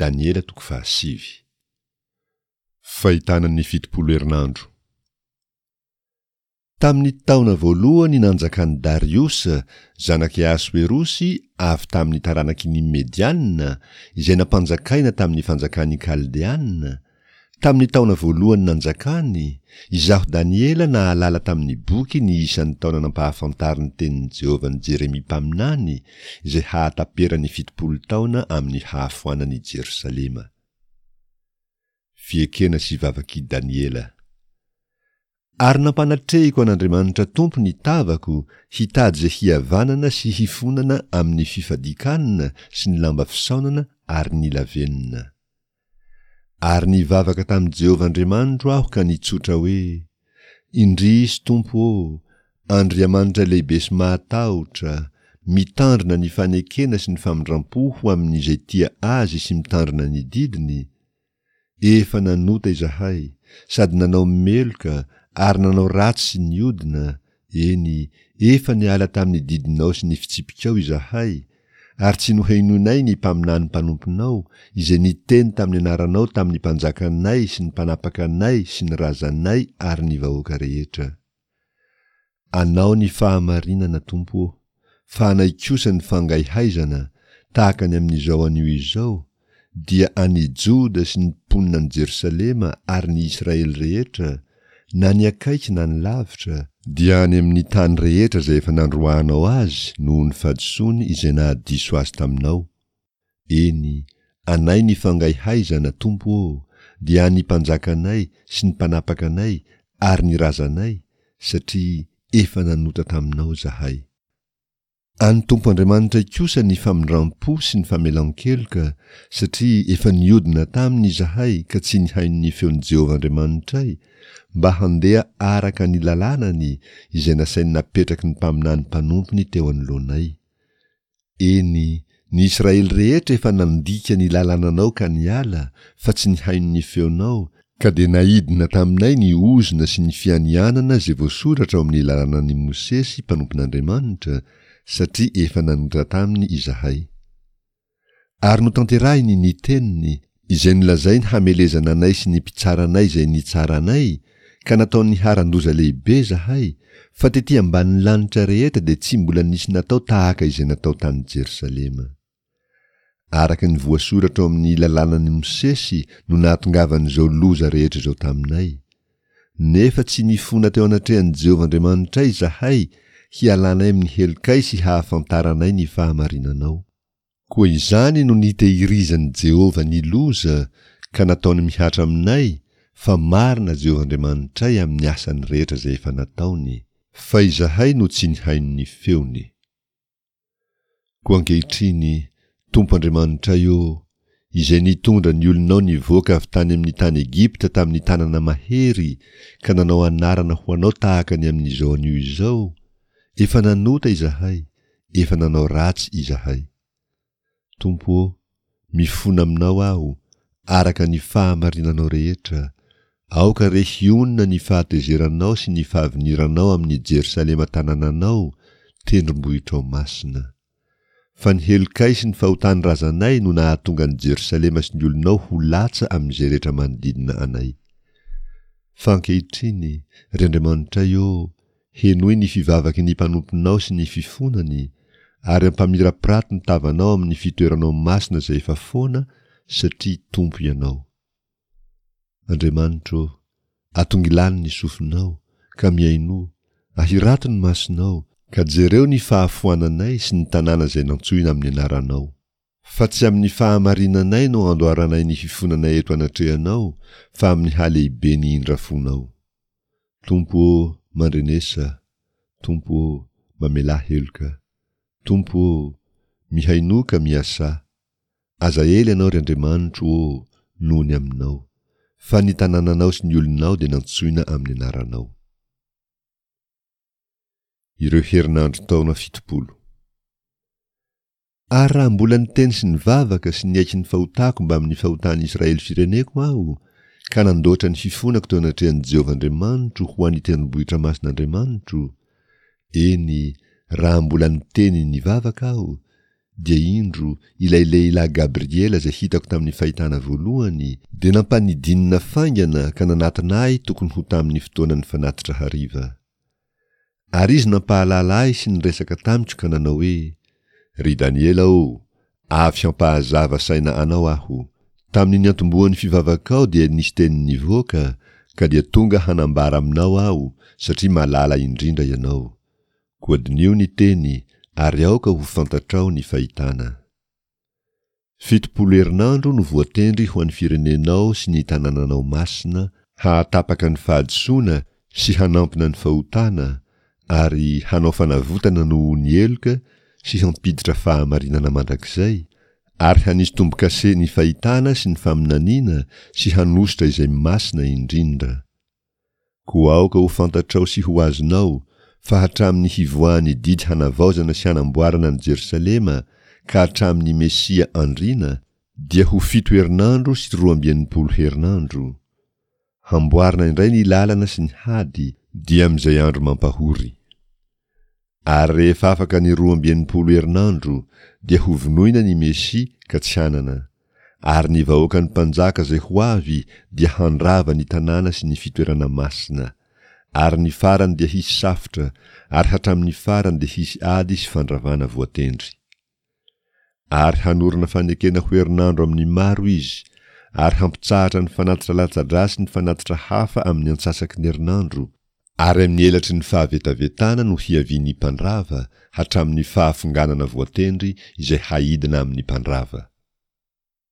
Daniela toko fahasivy. Fahitana ny 70 herinandro. Tamin'ny taona voalohany nanjakan'i Dariosa, zanak'i Ahasoerosy avy tamin'ny taranaky ny Mediana, izay nampanjakaina tamin'ny fanjakan'ny Kaldeana, tamin'ny taona voalohany nanjakany, izaho Daniela nahalala tamin'ny boky ny isan'ny taona nampahafantarin'ny tenin'i Jehovah an'i Jeremia mpaminany, izay hahataperan'ny 70 taona amin'ny hahafoanan'i Jerosalema. Fiekena sy vavak'i Daniela. Ary nampanatrehiko an'Andriamanitra Tompo ny tavako hitady izay hihavanana sy hifonana amin'ny fifadian-kanina sy ny lamba fisaonana ary ny lavenona. Ary nivavaka tamin'i Jehovah Andriamanitro aho ka nitsotra hoe, Indrisy, Tompo ô, Andriamanitra lehibe sy mahatahotra, mitandrina ny fanekena sy ny famindram-po ho amin'izay tia Azy sy mitandrina ny didiny, efa nanota izahay, sady nanao meloka ary nanao ratsy sy niodina, eny, efa niala tamin'ny didinao sy ny fitsipikao izahay, ary tsy nohenoinay ny mpaminany mpanomponao, izay niteny tamin'ny anaranao tamin'ny mpanjakanay sy ny mpanapaka anay sy ny razanay ary ny vahoaka rehetra. Anao ny fahamarinana, Tompo ô, fa anay kosa ny fangaihaizana, tahaka ny amin'izao anio izao, dia an'i Joda sy ny mponina any Jerosalema ary ny Israely rehetra, na ny akaiky na ny lavitra, dia any amin'ny tany rehetra izay efa nandroahanao azy noho ny fahadisoany izay nahadiso azy taminao, eny, anay ny fangaihaizana, Tompo ô, dia an'ny mpanjakanay sy ny mpanapaka anay ary ny razanay, satria efa nanota taminao izahay. An'ny Tompo Andriamanitray kosa ny famindram-po sy ny famelan-keloka, satria efa niodina taminy izahay ka tsy nihaino ny feon'i Jehovah Andriamanitray, mba handeha araka ny lalànany izay nasainy napetraky ny mpaminany mpanompony teo anoloanay. Eny, ny Israely rehetra efa nandika ny lalànanao ka niala, fa tsy nihaino ny feonao, Ka dia naidina taminay ny ozona sy ny fianianana izay voasoratra ao amin'ny lalànan'i Mosesy mpanompon'Andriamanitra, satria efa nanota taminy izahay. Ary notanterahiny ny teniny, izay nolazainy hamelezana anay sy ny mpitsara anay izay nitsara anay, ka nataony niharan-doza lehibe izahay, fa tetỳ ambanin'ny lanitra rehetra dia tsy mbola nisy natao tahaka izay natao tany Jerosalema. Araka ny voasoratra ao amin'ny lalànan'i Mosesy no nahatongavan'izao loza rehetra izao taminay. Nefa tsy nifona teo anatrehan'i Jehovah Andriamanitray izahay hialanay amin'ny helokay sy hahafantaranay ny fahamarinanao. Koa izany no nitehirizan'i Jehovah ny loza ka nataony mihatra aminay, fa marina Jehovah Andriamanitray amin'ny asany rehetra izay efa nataony, fa izahay no tsy nihaino ny feony. Koa ankehitriny, Tompo Andriamanitray ô, Izay nitondra ny olonao nivoaka avy tany amin'ny tany Egypta tamin'ny tanana mahery ka nanao anarana ho anao tahaka ny amin'izao anio izao, efa nanota izahay, efa nanao ratsy izahay. Tompo ô, mifona aminao aho, araka ny fahamarinanao rehetra, aoka re hionona ny fahatezeranao sy ny fahaviniranao amin'i Jerosalema tanànanao, tendrombohitrao masina. Fa ny helokay sy ny fahotan'ny razanay no nahatonga an'i Jerosalema sy ny olonao ho latsa amin'izay rehetra manodidina anay. Fa ankehitriny, ry Andriamanitray ô, Henoy ny fivavaky ny mpanomponao sy ny fifonany, ary ampamirapirato ny tavanao amin'ny fitoeranao masina izay efa foana, satria Tompo Ianao. Andriamanitro ô, atongilano ny sofinao, ka mihainoa, ahirato ny masonao, ka jereo ny fahafoananay sy ny tanàna izay nantsoina amin'ny anaranao. Fa tsy amin'ny fahamarinanay no andoaranay ny fifonanay eto anatrehanao, fa amin'ny halehiben'ny indrafonao. Tompo ô, mandrenesa, Tompo ô, mamelà heloka. Tompo ô, mihainoa ka miasà. Aza ela Ianao, ry Andriamanitro ô, noho ny aminao, fa ny tanànanao sy ny olonao dia nantsoina amin'ny anaranao. Ireo herinandro taona 70. Ary raha mbola niteny sy nivavaka sy niaiky ny fahotako mbamin'ny fahotan'ny Israely fireneko aho, ka nandoatra ny fifonako teo anatrehan'i Jehovah Andriamanitro ho an'ny tendrombohitra masin'Andriamanitro, eny, raha mbola niteny nivavaka aho, dia indro, ilay lehilahy Gabriela izay hitako tamin'ny fahitana voalohany, dia nampanidinina faingana ka nanatona ahy tokony ho tamin'ny fotoanan'ny fanatitra hariva. Ary izy nampahalala ahy sy niresaka tamiko ka nanao hoe, Ry Daniela ô, avy hampahazava saina anao aho. Tamin'ny niantombohan'ny fivavakao dia nisy teny nivoaka, ka dia tonga hanambara aminao aho, satria malala indrindra ianao. Koa diniho ny teny, ary aoka ho fantatrao ny fahitana. 70 herinandro no voatendry ho an'ny firenenao sy ny tanànanao masina, hahatapaka ny fahadisoana sy hanampina ny fahotana, ary hanao fanavotana noho ny heloka sy hampiditra fahamarinana mandrakizay, ary hanisy tombo-kase ny fahitana sy ny faminaniana sy hanosotra izay masina indrindra. Koa aoka ho fantatrao sy ho azonao fa hatramin'ny hivoahan'ny didy hanavaozana sy hanamboarana an'i Jerosalema ka hatramin'ny Mesia andriana dia ho fito herinandro sy 62 herinandro. Hamboarina indray ny lalana sy ny hady, dia amin'izay andro mampahory. Ary rehefa afaka ny 62 herinandro, dia hovonoina ny Mesia ka tsy hanana. Ary ny vahoakan'ny mpanjaka izay ho avy dia handrava ny tanàna sy ny fitoerana masina. Ary ny farany dia hisy safotra, ary hatramin'ny farany dia hisy ady sy fandravana voatendry. Ary hanorina fanekena ho herinandro amin'ny maro izy, ary hampitsahatra ny fanatitra latsa-drà sy ny fanatitra hafa amin'ny antsasaky ny herinandro, Ary amin'ny elatry ny fahavetavetana no hiavian'ny mpandrava, hatramin'ny fahafonganana voatendry izay haidina amin'ny mpandrava.